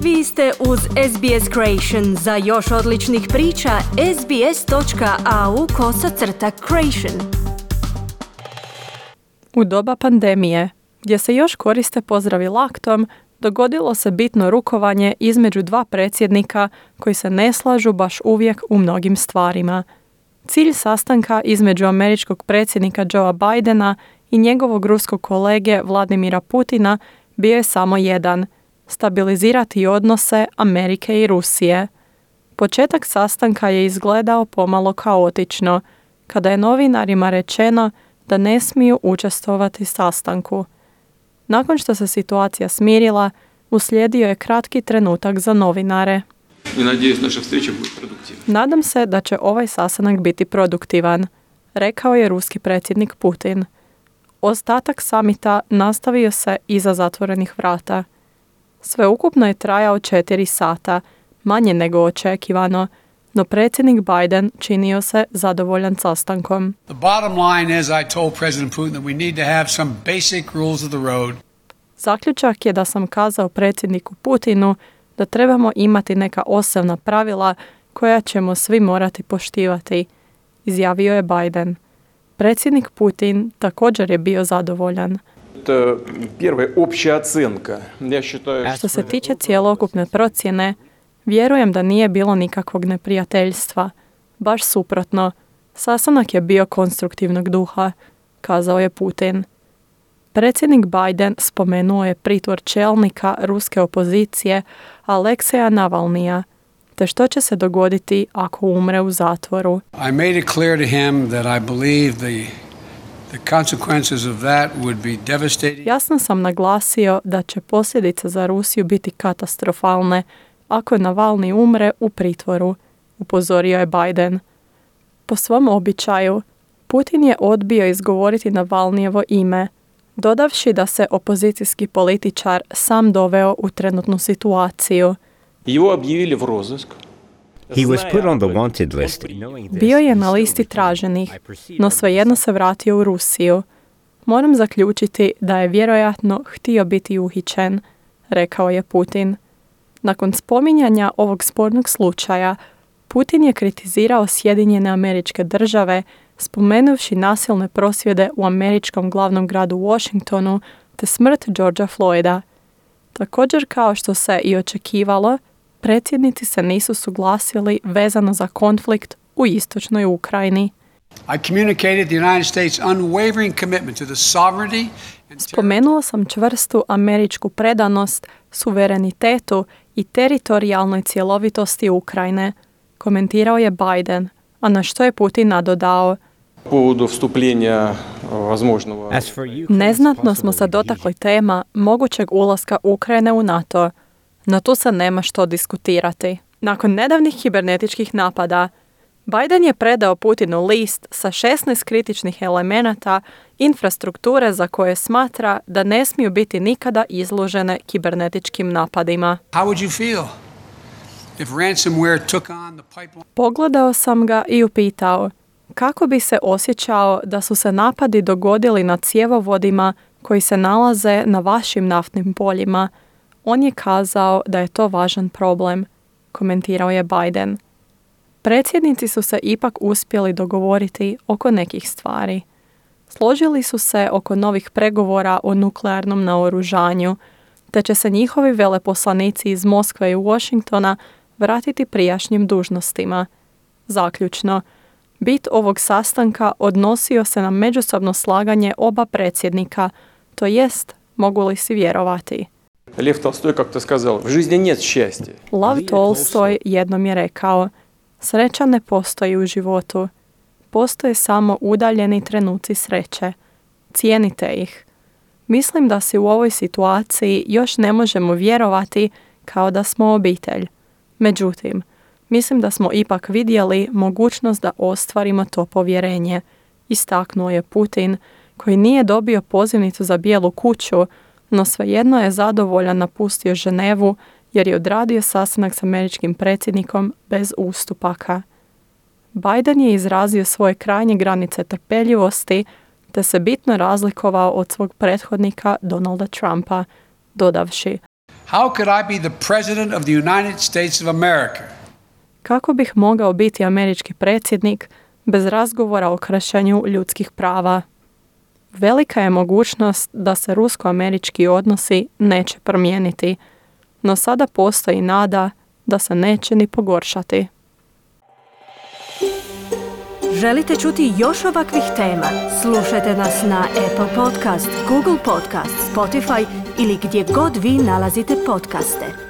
Vi ste uz SBS Creation. Za još odličnih priča, sbs.au/creation. U doba pandemije, gdje se još koriste pozdravi laktom, dogodilo se bitno rukovanje između dva predsjednika koji se ne slažu baš uvijek u mnogim stvarima. Cilj sastanka između američkog predsjednika Joea Bidena i njegovog ruskog kolege Vladimira Putina bio je samo jedan – stabilizirati odnose Amerike i Rusije. Početak sastanka je izgledao pomalo kaotično, kada je novinarima rečeno da ne smiju učestvovati sastanku. Nakon što se situacija smirila, uslijedio je kratki trenutak za novinare. Nadam se da će ovaj sastanak biti produktivan, rekao je ruski predsjednik Putin. Ostatak samita nastavio se iza zatvorenih vrata. Sveukupno je trajao 4 sata, manje nego očekivano, no predsjednik Biden činio se zadovoljan sastankom. The bottom line is I told President Putin that we need to have some basic rules of the road. Zaključak je da sam kazao predsjedniku Putinu da trebamo imati neka osnovna pravila koja ćemo svi morati poštivati, izjavio je Biden. Predsjednik Putin također je bio zadovoljan. Što se tiče cjelokupne procjene, vjerujem da nije bilo nikakvog neprijateljstva. Baš suprotno, sastanak je bio konstruktivnog duha, kazao je Putin. Predsjednik Biden spomenuo je pritvor čelnika ruske opozicije Alekseja Navalnija, te što će se dogoditi ako umre u zatvoru. I made it clear to him that I believe the consequences of that would be devastating. Jasno sam naglasio da će posljedice za Rusiju biti katastrofalne ako Navalni umre u pritvoru, upozorio je Biden. Po svom običaju, Putin je odbio izgovoriti Navalnijevo ime, dodavši da se opozicijski političar sam doveo u trenutnu situaciju. He was put on the wanted list. Bio je na listi traženih, no svejedno se vratio u Rusiju. Moram zaključiti da je vjerojatno htio biti uhićen, rekao je Putin. Nakon spominjanja ovog spornog slučaja, Putin je kritizirao Sjedinjene Američke Države, spomenuvši nasilne prosvjede u američkom glavnom gradu Washingtonu te smrt Georgea Floyda. Također, kao što se i očekivalo, predsjednici se nisu suglasili vezano za konflikt u istočnoj Ukrajini. Spomenuo sam čvrstu američku predanost, suverenitetu i teritorijalnoj cjelovitosti Ukrajine, komentirao je Biden, a na što je Putin nadodao. Neznatno smo se dotakli tema mogućeg ulaska Ukrajine u NATO, no tu se nema što diskutirati. Nakon nedavnih kibernetičkih napada, Biden je predao Putinu list sa 16 kritičnih elemenata infrastrukture za koje smatra da ne smiju biti nikada izložene kibernetičkim napadima. Pogledao sam ga i upitao kako bi se osjećao da su se napadi dogodili na cjevovodima koji se nalaze na vašim naftnim poljima. On je kazao da je to važan problem, komentirao je Biden. Predsjednici su se ipak uspjeli dogovoriti oko nekih stvari. Složili su se oko novih pregovora o nuklearnom naoružanju, te će se njihovi veleposlanici iz Moskve i Washingtona vratiti prijašnjim dužnostima. Zaključno, bit ovog sastanka odnosio se na međusobno slaganje oba predsjednika, to jest, mogu li si vjerovati. Lev Tolstoj как-то сказал, в жизни нет счастья. Lav Tolstoj jednom je rekao, sreća ne postoji u životu. Postoje samo udaljeni trenuci sreće. Cijenite ih. Mislim da si u ovoj situaciji još ne možemo vjerovati kao da smo obitelj. Međutim, mislim da smo ipak vidjeli mogućnost da ostvarimo to povjerenje, istaknuo je Putin, koji nije dobio pozivnicu za Bijelu kuću, no svejedno je zadovoljan napustio Ženevu jer je odradio sastanak s američkim predsjednikom bez ustupaka. Biden je izrazio svoje krajnje granice trpeljivosti te se bitno razlikovao od svog prethodnika Donalda Trumpa, dodavši: How could I be the president of the United States of America? Kako bih mogao biti američki predsjednik bez razgovora o kršenju ljudskih prava? Velika je mogućnost da se rusko-američki odnosi neće promijeniti, no sada postoji nada da se neće ni pogoršati. Želite čuti još ovakvih tema? Slušajte nas na Apple Podcast, Google Podcast, Spotify ili gdje god vi nalazite podcaste.